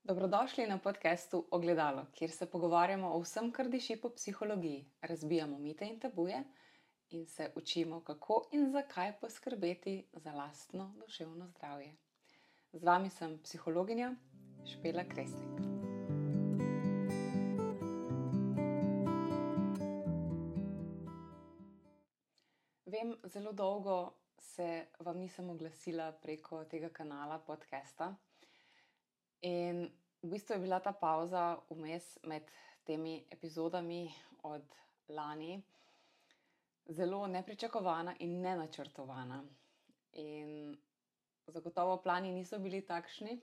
Dobrodošli na podkastu Ogledalo, kjer se pogovarjamo o vsem, kar diši po psihologiji, razbijamo mite in tabuje in se učimo, kako in zakaj poskrbeti za lastno duševno zdravje. Z vami sem psihologinja Špela Kresnik. Vem, zelo dolgo se vam nisem oglasila preko tega kanala podcasta. In v bistvu je bila ta pavza vmes med temi epizodami od lani zelo nepričakovana in nenačrtovana. In zagotovo plani niso bili takšni,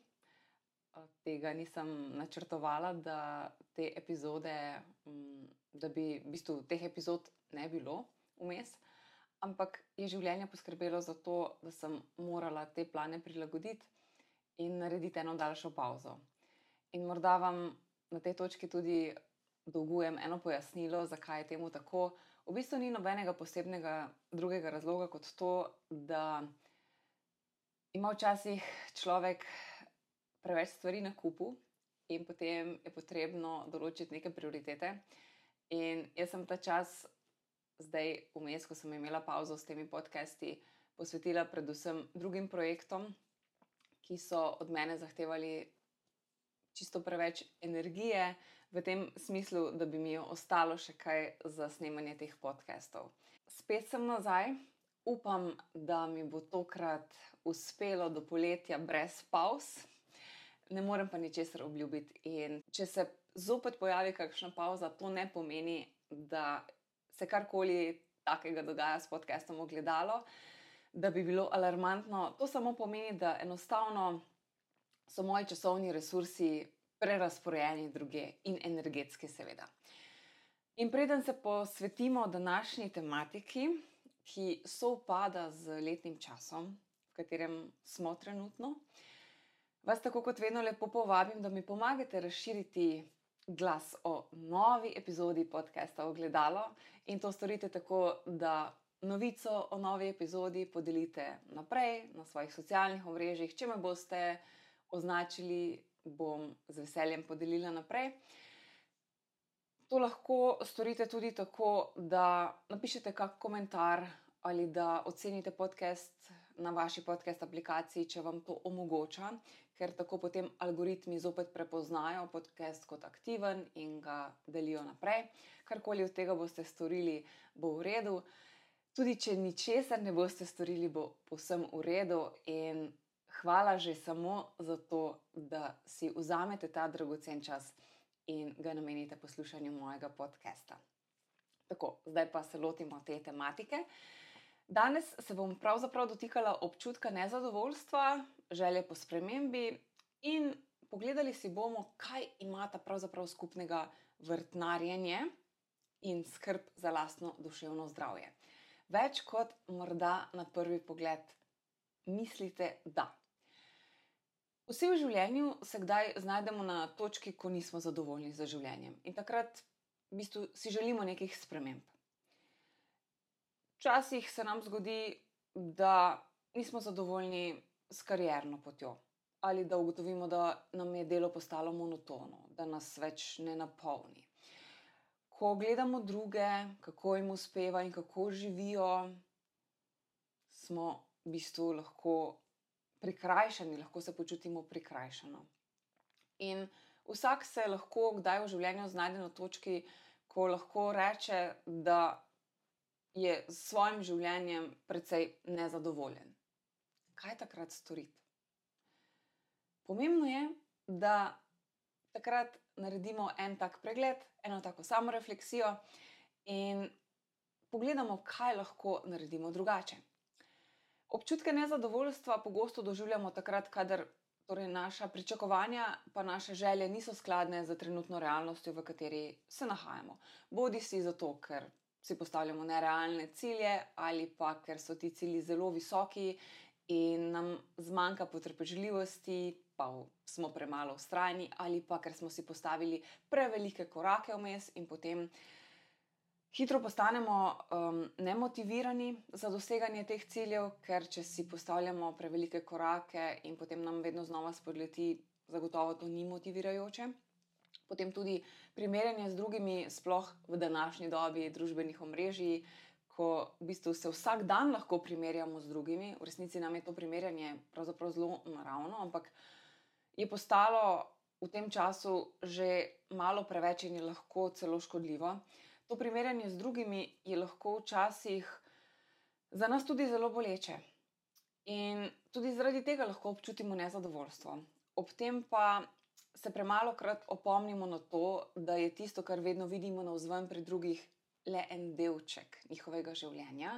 tega nisem načrtovala, da te epizode, da bi v bistvu teh epizod ne bilo vmes, ampak je življenje poskrbelo za to, da sem morala te plane prilagoditi in narediti eno daljšo pavzo. In morda vam na tej točki tudi dolgujem eno pojasnilo, zakaj je temu tako. V bistvu ni nobenega posebnega drugega razloga kot to, da ima včasih človek preveč stvari na kupu in potem je potrebno določiti neke prioritete. In jaz sem ta čas zdaj vmes, ko sem imela pavzo s temi podcasti, posvetila predvsem drugim projektom, ki so od mene zahtevali čisto preveč energije, v tem smislu, da bi mi ostalo še kaj za snemanje teh podcastov. Spet sem nazaj, upam, da mi bo tokrat uspelo do poletja brez pavz, ne morem pa ničesar obljubiti. In če se zopet pojavi kakšna pavza, to ne pomeni, da se karkoli takega dogaja s podcastom Ogledalo, da bi bilo alarmantno. To samo pomeni, da enostavno so moji časovni resursi prerazporejeni drugje in energetski seveda. In preden se posvetimo današnji tematiki, ki sovpada z letnim časom, v katerem smo trenutno, vas tako kot vedno lepo povabim, da mi pomagate razširiti glas o novi epizodi podcasta Ogledalo in to storite tako, da novico o novi epizodi podelite naprej na svojih socialnih omrežjih. Če me boste označili, bom z veseljem podelila naprej. To lahko storite tudi tako, da napišete kak komentar ali da ocenite podcast na vaši podcast aplikaciji, če vam to omogoča, ker tako potem algoritmi zopet prepoznajo podcast kot aktiven in ga delijo naprej. Karkoli od tega boste storili, bo v redu. Tudi če ničesar ne boste storili, bo povsem v redu in hvala že samo za to, da si vzamete ta dragocen čas in ga namenite poslušanju mojega podcasta. Tako, zdaj pa se lotimo te tematike. Danes se bom pravzaprav dotikala občutka nezadovoljstva, želje po spremembi in pogledali si bomo, kaj imata pravzaprav skupnega vrtnarjenje in skrb za lastno duševno zdravje. Več kot morda na prvi pogled mislite, da. Vsi v življenju se kdaj znajdemo na točki, ko nismo zadovoljni z življenjem. In takrat v bistvu si želimo nekih sprememb. Včasih se nam zgodi, da nismo zadovoljni s karierno potjo. Ali da ugotovimo, da nam je delo postalo monotono, da nas več ne napolni. Ko gledamo druge, kako jim uspeva in kako živijo, smo v bistvu lahko prikrajšani, lahko se počutimo prikrajšano. In vsak se lahko kdaj v življenju znajde na točki, ko lahko reče, da je s svojim življenjem precej nezadovoljen. Kaj takrat storiti? Pomembno je, da takrat naredimo en tak pregled, eno tako samorefleksijo in pogledamo, kaj lahko naredimo drugače. Občutke nezadovoljstva pogosto doživljamo takrat, kadar naša pričakovanja pa naše želje niso skladne z trenutno realnostjo, v kateri se nahajamo. Bodisi zato, ker si postavljamo nerealne cilje ali pa ker so ti cilji zelo visoki in nam zmanjka potrpežljivosti, pa smo premalo vztrajni, ali pa ker smo si postavili prevelike korake vmes in potem hitro postanemo nemotivirani za doseganje teh ciljev, ker če si postavljamo prevelike korake in potem nam vedno znova spodleti zagotovo to ni motivirajoče. Potem tudi primerjanje z drugimi, sploh v današnji dobi družbenih omrežij, ko v bistvu se vsak dan lahko primerjamo z drugimi. V resnici nam je to primerjanje pravzaprav zelo naravno, ampak je postalo v tem času že malo preveč in je lahko celo škodljivo. To primerjanje z drugimi je lahko včasih za nas tudi zelo boleče. In tudi zaradi tega lahko občutimo nezadovoljstvo. Ob tem pa se premalokrat opomnimo na to, da je tisto, kar vedno vidimo navzven pri drugih, le en delček njihovega življenja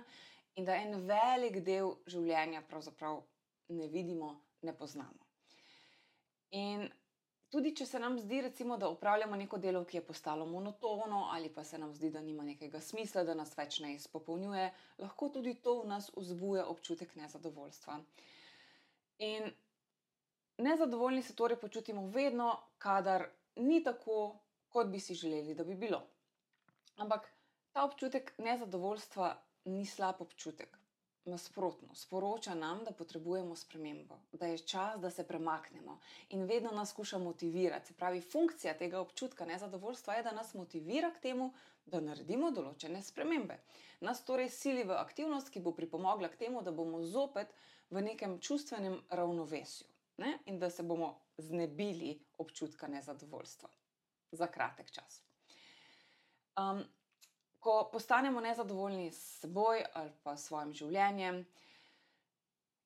in da en velik del življenja pravzaprav ne vidimo, ne poznamo. In tudi če se nam zdi, recimo, da opravljamo neko delo, ki je postalo monotono, ali pa se nam zdi, da nima nekega smisla, da nas več ne izpopolnjuje, lahko tudi to v nas vzbuja občutek nezadovoljstva. In nezadovoljni se torej počutimo vedno, kadar ni tako, kot bi si želeli, da bi bilo. Ampak ta občutek nezadovoljstva ni slab občutek. Nasprotno, sporoča nam, da potrebujemo spremembo, da je čas, da se premaknemo in vedno nas skuša motivirati. Se pravi, funkcija tega občutka nezadovoljstva je, da nas motivira k temu, da naredimo določene spremembe. Nas torej sili v aktivnost, ki bo pripomogla k temu, da bomo zopet v nekem čustvenem ravnovesju, ne? In da se bomo znebili občutka nezadovoljstva za kratek čas. Ko postanemo nezadovoljni s seboj ali pa s svojim življenjem,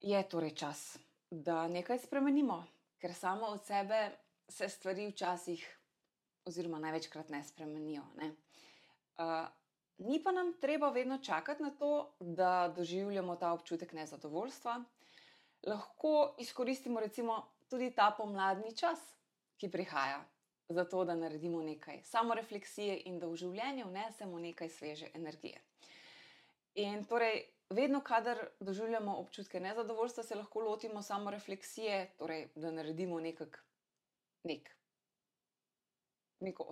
je torej čas, da nekaj spremenimo, ker samo od sebe se stvari včasih oziroma največkrat ne spremenijo, ne. Ni pa nam treba vedno čakati na to, da doživljamo ta občutek nezadovoljstva. Lahko izkoristimo recimo tudi ta pomladni čas, ki prihaja, zato da naredimo nekaj samorefleksije in da v življenje vnesemo nekaj sveže energije. In torej, vedno, kadar doživljamo občutke nezadovoljstva, se lahko lotimo samorefleksije, torej, da naredimo neko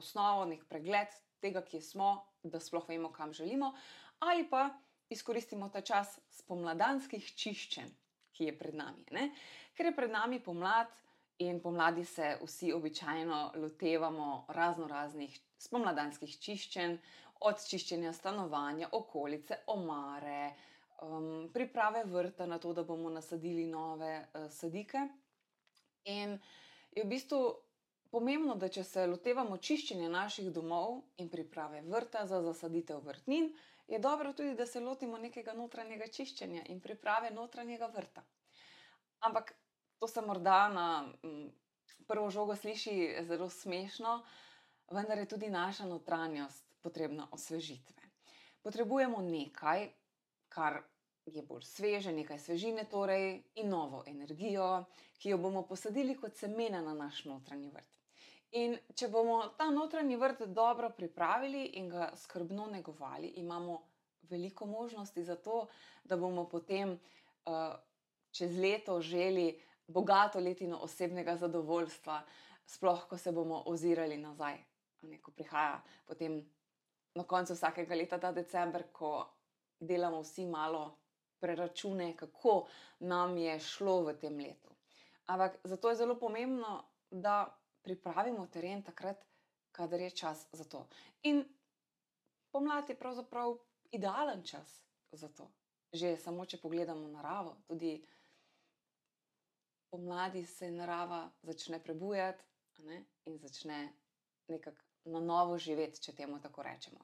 osnovo, nek pregled tega, kje smo, da sploh vemo, kam želimo, ali pa izkoristimo ta čas spomladanskih čiščenj, ki je pred nami, ne? Ker je pred nami pomlad, in pomladi se vsi običajno lotevamo raznoraznih spomladanskih čiščenj, od čiščenja stanovanja, okolice, omare, priprave vrta na to, da bomo nasadili nove sadike. In je v bistvu pomembno, da če se lotevamo čiščenja naših domov in priprave vrta za zasaditev vrtnin, je dobro tudi, da se lotimo nekega notranjega čiščenja in priprave notranjega vrta. Ampak to se morda na prvo žogo sliši zelo smešno, vendar je tudi naša notranjost potrebna osvežitve. Potrebujemo nekaj, kar je bolj sveže, nekaj svežine torej in novo energijo, ki jo bomo posadili kot semena na naš notranji vrt. In če bomo ta notranji vrt dobro pripravili in ga skrbno negovali, imamo veliko možnosti za to, da bomo potem čez leto želi bogato letino osebnega zadovoljstva, sploh ko se bomo ozirali nazaj. Ko prihaja potem na koncu vsakega leta ta december, ko delamo vsi malo preračune, kako nam je šlo v tem letu. Ampak zato je zelo pomembno, da pripravimo teren takrat, kadar je čas za to. In pomlad je pravzaprav idealen čas za to. Že samo, če pogledamo naravo, tudi pomladi se narava začne prebujati, ne? In začne nekako na novo živeti, če temu tako rečemo.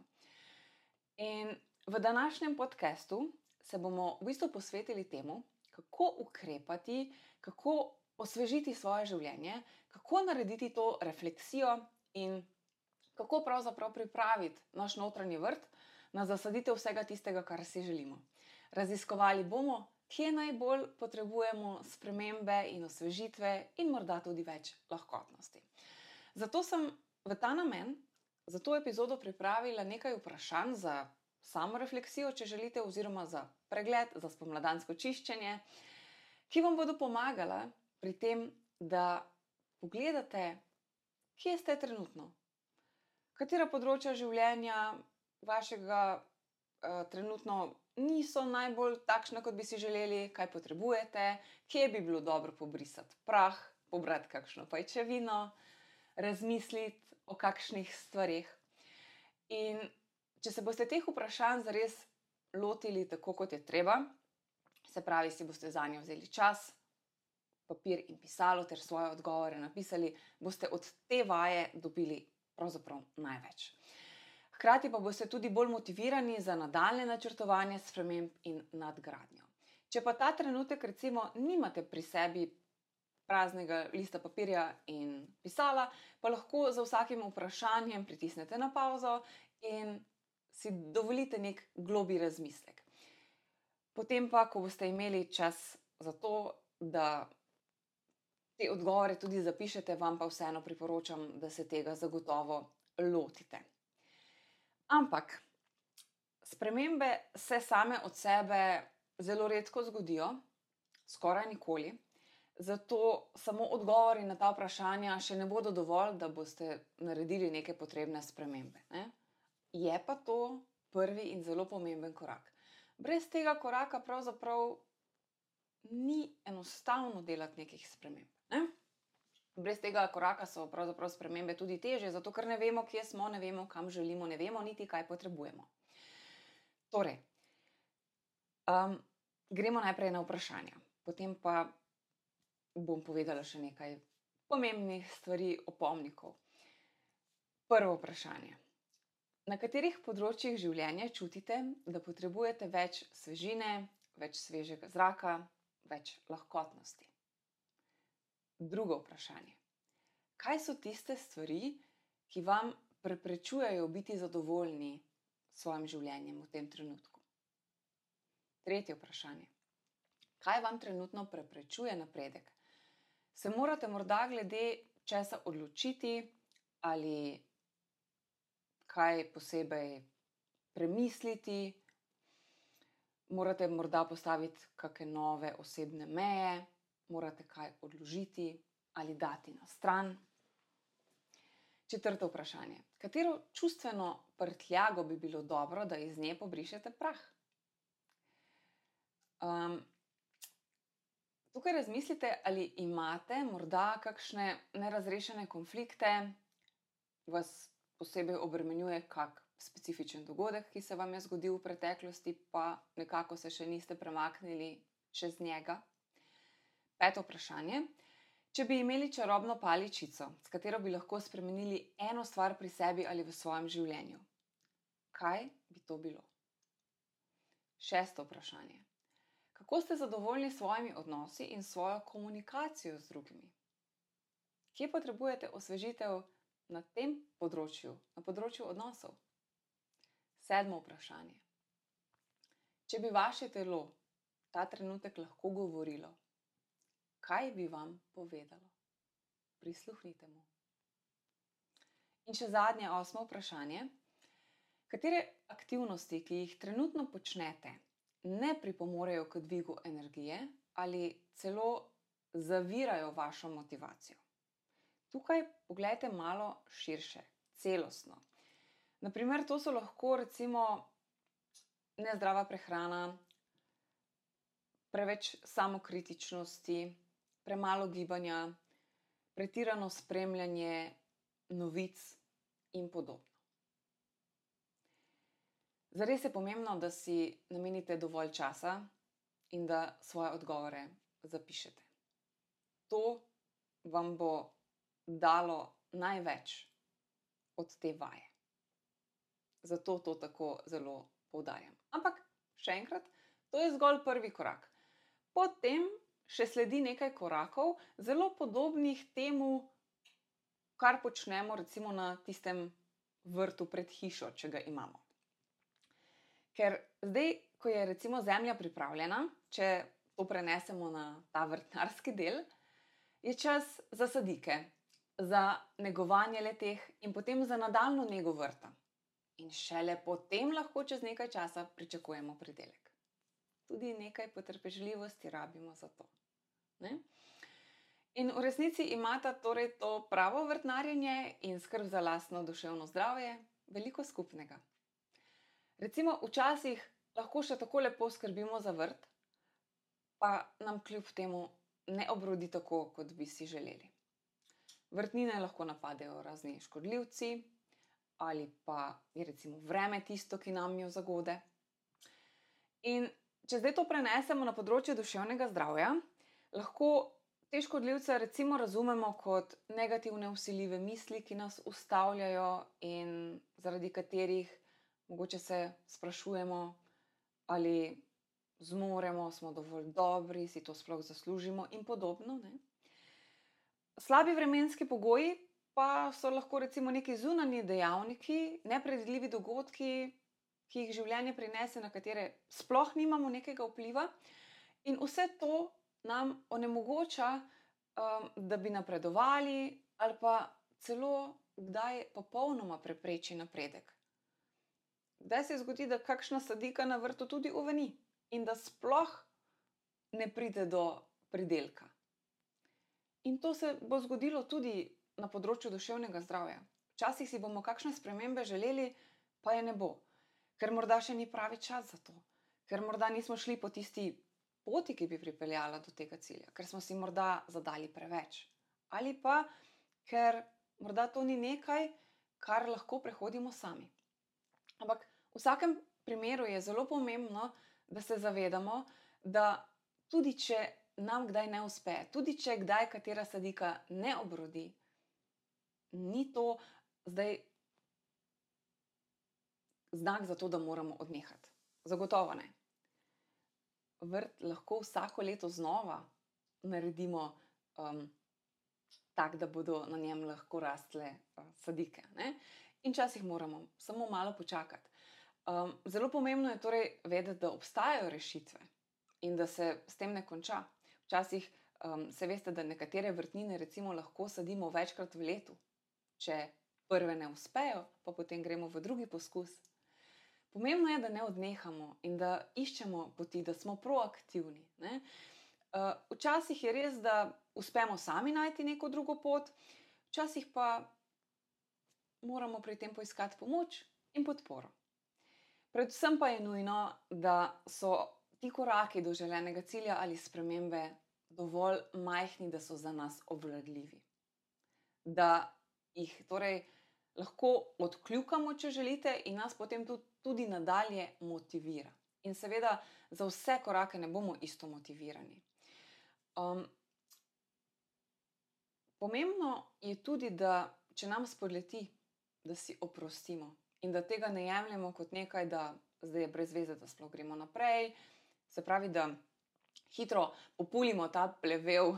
In v današnjem podcastu se bomo v bistvu posvetili temu, kako ukrepati, kako osvežiti svoje življenje, kako narediti to refleksijo in kako pravzaprav pripraviti naš notranji vrt na zasaditev vsega tistega, kar si želimo. Raziskovali bomo, kje najbolj potrebujemo spremembe in osvežitve in morda tudi več lahkotnosti. Zato sem v ta namen za to epizodo pripravila nekaj vprašanj za samorefleksijo, če želite, oziroma za pregled, za spomladansko čiščenje, ki vam bodo pomagala pri tem, da pogledate, kje ste trenutno. Katera področja življenja vašega trenutno niso najbolj takšna, kot bi si želeli, kaj potrebujete, kje bi bilo dobro pobrisati prah, pobrati kakšno pajčevino, razmisliti o kakšnih stvareh. In če se boste teh vprašanj zares lotili tako, kot je treba, se pravi, si boste zanje vzeli čas, papir in pisalo ter svoje odgovore napisali, boste od te vaje dobili pravzaprav največ. Hkrati pa boste tudi bolj motivirani za nadaljnje načrtovanje sprememb in nadgradnjo. Če pa ta trenutek recimo nimate pri sebi praznega lista papirja in pisala, pa lahko za vsakim vprašanjem pritisnete na pavzo in si dovolite nek globlji razmislek. Potem pa, ko boste imeli čas za to, da te odgovore tudi zapišete, vam pa vseeno priporočam, da se tega zagotovo lotite. Ampak spremembe se same od sebe zelo redko zgodijo, skoraj nikoli, zato samo odgovori na ta vprašanja še ne bodo dovolj, da boste naredili neke potrebne spremembe, ne? Je pa to prvi in zelo pomemben korak. Brez tega koraka pravzaprav ni enostavno delati nekih sprememb, ne? Brez tega koraka so pravzaprav spremembe tudi težje, zato ker ne vemo, kje smo, ne vemo, kam želimo, ne vemo niti, kaj potrebujemo. Torej, gremo najprej na vprašanja, potem pa bom povedala še nekaj pomembnih stvari, opomnikov. Prvo vprašanje. Na katerih področjih življenja čutite, da potrebujete več svežine, več svežega zraka, več lahkotnosti? Drugo vprašanje. Kaj so tiste stvari, ki vam preprečujejo biti zadovoljni s svojim življenjem v tem trenutku? Tretje vprašanje. Kaj vam trenutno preprečuje napredek? Se morate morda glede česa odločiti ali kaj posebej premisliti? Morate morda postaviti kakšne nove osebne meje? Morate kaj odložiti ali dati na stran? Četrto vprašanje. Katero čustveno prtljago bi bilo dobro, da iz nje pobrišete prah? Tukaj razmislite, ali imate morda kakšne nerazrešene konflikte, vas posebej obremenjuje kak specifičen dogodek, ki se vam je zgodil v preteklosti, pa nekako se še niste premaknili čez njega. Peto vprašanje. Če bi imeli čarobno paličico, s katero bi lahko spremenili eno stvar pri sebi ali v svojem življenju, kaj bi to bilo? Šesto vprašanje. Kako ste zadovoljni s svojimi odnosi in svojo komunikacijo z drugimi? Kje potrebujete osvežitev na tem področju, na področju odnosov? Sedmo vprašanje. Če bi vaše telo ta trenutek lahko govorilo, kaj bi vam povedalo? Prisluhnite mu. In še zadnje, osmo vprašanje. Katere aktivnosti, ki jih trenutno počnete, ne pripomorejo k dvigu energije ali celo zavirajo vašo motivacijo? Tukaj poglejte malo širše, celostno. Naprimer, to so lahko recimo nezdrava prehrana, preveč samokritičnosti, premalo gibanja, pretirano spremljanje novic in podobno. Zares je pomembno, da si namenite dovolj časa in da svoje odgovore zapišete. To vam bo dalo največ od te vaje. Zato to tako zelo poudarjam. Ampak, še enkrat, to je zgolj prvi korak. Potem še sledi nekaj korakov, zelo podobnih temu, kar počnemo recimo na tistem vrtu pred hišo, če ga imamo. Ker zdaj, ko je recimo zemlja pripravljena, če to prenesemo na ta vrtnarski del, je čas za sadike, za negovanje le-teh in potem za nadaljnjo nego vrta. In šele potem lahko čez nekaj časa pričakujemo pridelek. Tudi nekaj potrpežljivosti rabimo za to, ne? In v resnici imata torej to pravo vrtnarjenje in skrb za lastno duševno zdravje veliko skupnega. Recimo, včasih lahko še tako lepo skrbimo za vrt, pa nam kljub temu ne obrodi tako, kot bi si želeli. Vrtnine lahko napadejo razni škodljivci ali pa je recimo vreme tisto, ki nam jo zagode. In če zdaj to prenesemo na področje duševnega zdravja, lahko te škodljivce recimo razumemo kot negativne vsiljive misli, ki nas ustavljajo in zaradi katerih mogoče se sprašujemo, ali zmoremo, smo dovolj dobri, si to sploh zaslužimo in podobno, ne. Slabi vremenski pogoji pa so lahko recimo neki zunanji dejavniki, nepredvidljivi dogodki, ki jih življenje prinese, na katere sploh nimamo nekega vpliva, in vse to nam onemogoča, da bi napredovali ali pa celo kdaj popolnoma prepreči napredek. Kdaj se zgodi, da kakšna sadika na vrtu tudi uveni in da sploh ne pride do pridelka. In to se bo zgodilo tudi na področju duševnega zdravja. Včasih si bomo kakšne spremembe želeli, pa je ne bo, ker morda še ni pravi čas za to, ker morda nismo šli po tisti poti, ki bi pripeljala do tega cilja, ker smo si morda zadali preveč, ali pa ker morda to ni nekaj, kar lahko prehodimo sami. Ampak v vsakem primeru je zelo pomembno, da se zavedamo, da tudi če nam kdaj ne uspe, tudi če kdaj katera sadika ne obrodi, ni to zdaj znak za to, da moramo odnehati. Zagotovo ne. Vrt lahko vsako leto znova naredimo tak, da bodo na njem lahko rastle sadike, ne? In včasih moramo samo malo počakati. Zelo pomembno je torej vedeti, da obstajajo rešitve in da se s tem ne konča. Včasih se veste, da nekatere vrtnine recimo lahko sadimo večkrat v letu. Če prve ne uspejo, pa potem gremo v drugi poskus. Pomembno je, da ne odnehamo in da iščemo poti, da smo proaktivni, ne? Včasih je res, da uspemo sami najti neko drugo pot, včasih pa moramo pri tem poiskati pomoč in podporo. Predvsem pa je nujno, da so ti koraki do želenega cilja ali spremembe dovolj majhni, da so za nas obvladljivi. Da jih torej lahko odkljukamo, če želite, in nas potem tudi nadalje motivira. In seveda za vse korake ne bomo isto motivirani. Pomembno je tudi, da če nam spodleti, da si oprostimo in da tega ne jemljemo kot nekaj, da zdaj je brez veze, da sploh gremo naprej. Se pravi, da hitro populimo ta plevel,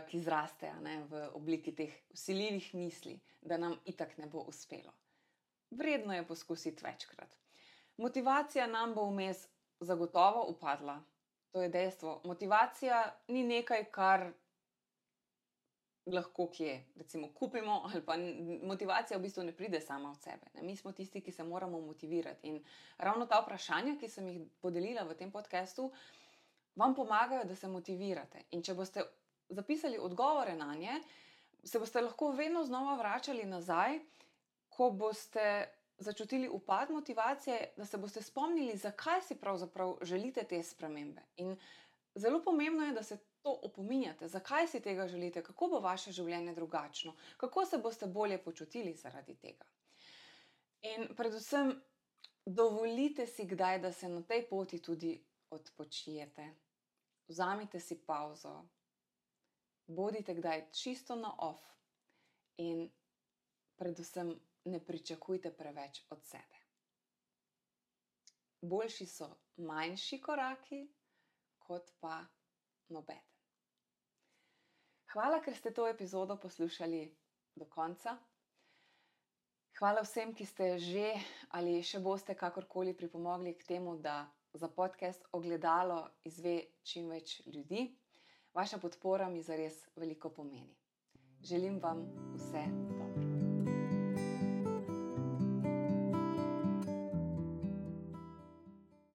ki zraste, ne, v obliki teh vsiljivih misli, da nam itak ne bo uspelo. Vredno je poskusiti večkrat. Motivacija nam bo vmes zagotovo upadla. To je dejstvo. Motivacija ni nekaj, kar lahko kje recimo kupimo, ali pa motivacija v bistvu ne pride sama od sebe, ne. Mi smo tisti, ki se moramo motivirati. In ravno ta vprašanja, ki sem jih podelila v tem podcastu, vam pomagajo, da se motivirate. In če boste zapisali odgovore nanje, se boste lahko vedno znova vračali nazaj, ko boste začutili upad motivacije, da se boste spomnili, zakaj si pravzaprav želite te spremembe. In zelo pomembno je, da se to opominjate, zakaj si tega želite, kako bo vaše življenje drugačno, kako se boste bolje počutili zaradi tega. In predvsem dovolite si kdaj, da se na tej poti tudi odpočijete. Vzamite si pavzo, bodite kdaj čisto na off in predvsem ne pričakujte preveč od sebe. Boljši so manjši koraki, kot pa nobeden. Hvala, ker ste to epizodo poslušali do konca. Hvala vsem, ki ste že ali še boste kakorkoli pripomogli k temu, da za podcast Ogledalo izve čim več ljudi. Vaša podpora mi zares veliko pomeni. Želim vam vse dobro.